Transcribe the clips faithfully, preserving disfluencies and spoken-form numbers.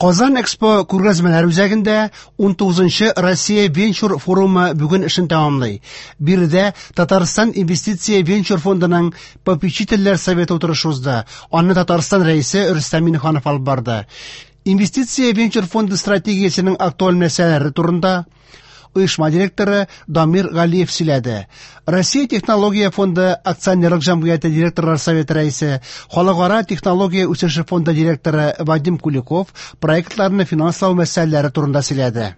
Казан Экспо күргәзмәләр үзәгендә унтугызынчы Россия венчур форумы бүген эшен тәмамлый. Биредә Татарстан инвестиция венчур фондының попечительләр советы утырышы узды. Аны Татарстан Рәисе Рөстәм Миңнеханов алып барды. Инвестиция венчур фонды стратегиясенең актуаль мәсьәләләре турында оешма директоры Дамир Галиев сөйләде. Россия технология фонды акционерлык җәмгыяте директорлар советы рәисе, Халыкара технология үсеше фонды директоры Вадим Куликов проектларны финанслау мәсьәләләре турында сөйләде.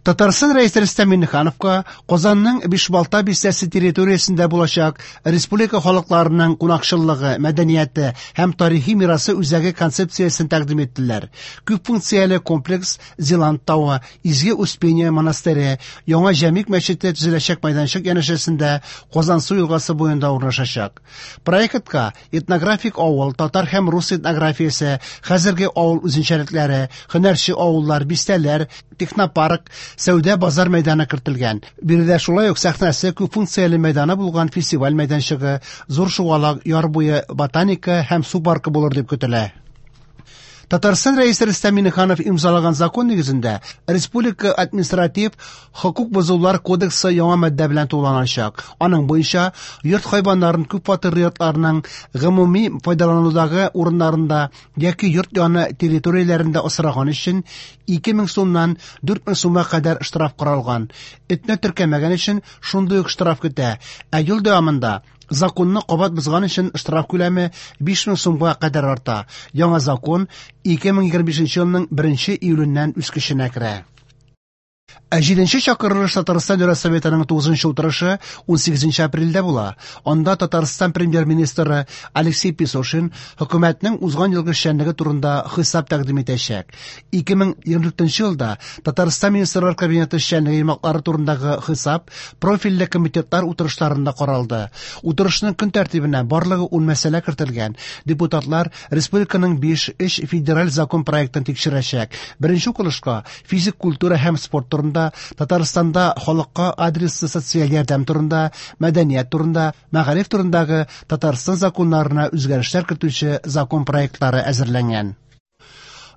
Татарстан Рәисе Рөстәм Миңнехановка Казанның Бишбалта бистәсе территориясендә булачак республика халыкларының кунакчыллыгы, мәдәнияте һәм тарихи мирасы үзәге концепциясен тәкъдим иттеләр. Күп функцияле комплекс Зилант тавы, Изге Успение монастыре, Яңа Җәмигъ мәчете төзеләчәк мәйданчык янәшәсендә Казансу елгасы буенда урнашачак. Проектка этнографик авыл, татар һәм рус этнографиясе, хәзерге авыл үзенчәлекләре, һөнәрче авыллар, бистәләр, технопарк, сәүдә базар мәйданы кертелгән. Биредә шулай ук сәхнәсе күп функцияле мәйданы булган фестиваль мәйданчыгы, зур шугалак, яр буе, ботаника һәм су паркы булыр дип көтелә. Татарстан Рәисе Рөстәм Миңнеханов имзалаган закон нигезендә Республика административ хокук бозулар кодексы яңа маддә белән тулыланачак. Аның буенча йорт хайваннарын күп фатирлы йортларның гомуми файдаланудагы урыннарында яки йорт яны территорияләрендә асраган өчен ике мең сумнан дүрт мең сумга кадәр штраф каралган. Этне теркәмәгән өчен шундый ук штраф көтә. Ә ел дәвамында законны кабат бозган өчен штраф күләме биш мең сумга кадәр арта. Яңа закон ике мең егерме бишенче елның беренче июленнән үз көченә керә. Ә җиденче чакырылыш Татарстан Дәүләт Советының тугызынчы утырышы унсигезенче апрельдә була. Анда Татарстан премьер-министры Алексей Песошин хөкүмәтнең узган елгы эшчәнлеге турында хисап тәкъдим итәчәк. Ике мең егерме дүртенче елда Татарстан Министрлар Кабинеты эшчәнлеге йомгаклары турындагы хисап профильле комитетлар утырышларында каралды. Утырышның көн тәртибенә барлыгы ун мәсьәлә кертелгән. Депутатлар республиканың биш өч федераль закон проектын тикшерәчәк. Беренче укылышка физик культура һәм спорт турында, Татарстанда халыкка адреслы социаль ярдәм турында, мәдәният турында, мәгариф турындагы Татарстан законнарына үзгәрешләр кертүче закон проектлары әзерләнгән.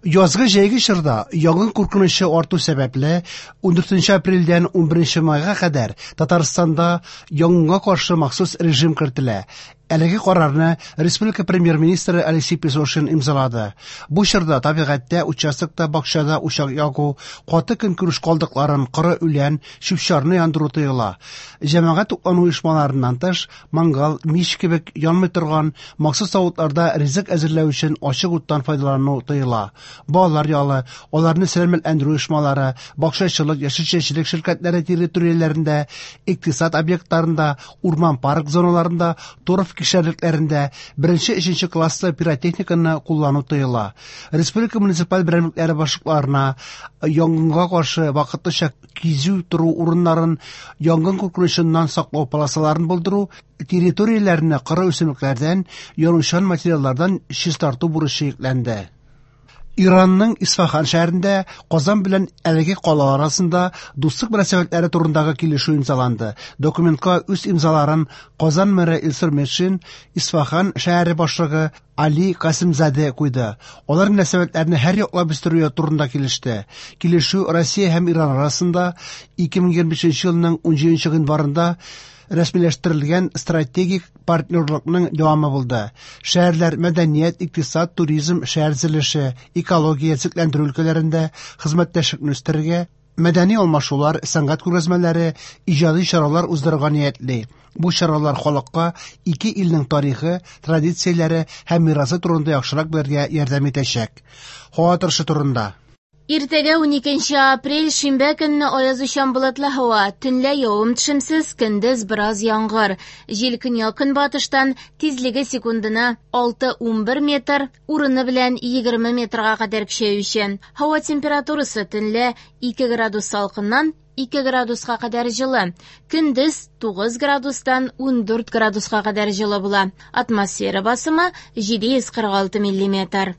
Язгы җәйге чорда янгын куркынычы арту сәбәпле ундүртенче апрельдән унберенче майга кадәр Татарстанда янгынга каршы махсус режим кертелә. Әлеге карарны республика премьер-министры Алексей Песошин имзалады. Бу чорда табигатьтә, участокта, бакчада учак ягу, каты көнкүреш калдыкларын, коры үлән, чүп-чарны яндыру тыела. Җәмәгать туклану оешмаларыннан тыш, мангал, мич кебек янмый торган махсус савытларда ризык әзерләү өчен ачык уттан файдалану тыела. Балалар ялы, аларны сәламәтләндерү оешмалары, бакчачылык, яшелчәчелек ширкәтләре территорияләрендә, икътисад объектларында, урман парк зоналарында, торф кишәрлекләрендә беренче, өченче класслы пиротехниканы куллану тыела. Республика муниципаль берәмлекләре башлыкларына янгынга каршы вакытлыча кизү тору урыннарын, янгын куркынычыннан саклау полосаларын булдыру, территорияләрне коры үсемлекләрдән, янучан материаллардан чистарту бурычы йөкләнде. Иранның Исфахан шәһәрендә Казан белән әлеге кала арасында дуслык мөнәсәбәтләре турындагы килешү имзаланды. Документка үз имзаларын Казан мэры Илсур Метшин, Исфахан шәһәре башлыгы Али Касымзаде куйды. Алар мөнәсәбәтләрне һәр яклап үстерү турында килеште. Килешү Россия һәм Иран арасында ике мең егерме бишенче елның унҗиденче гыйнварында рәсмиләштерелгән стратегик партнерлыкның дәвамы булды. Шәһәрләр мәдәният, икътисад, туризм, шәһәр төзелеше, экология, төзекләндерү өлкәләрендә хезмәттәшлекне үстерергә, мәдәни алмашулар, сәнгать күргәзмәләре, иҗади чаралар уздырырга ниятли. Бу чаралар халыкка ике илнең тарихы, традицияләре һәм мирасы турында яхшырак белергә ярдәм итәчәк. Һава торышы турында. Иртәгә уникенче апрель шимбә көнне аязучан болытлы һава, төнлә явым-төшемсез, көндез бераз яңгыр. Җил көньяк-көнбатыштан, тизлеге секундына алты-унбер метр, урыны белән егерме метрга кадәр көчәючән. Һава температурасы төнлә ике градус салкыннан ике градуска кадәр җылы, көндез тугыз градустан ундүрт градуска кадәр җылы була. Атмосфера басымы җиде йөз кырык алты миллиметр.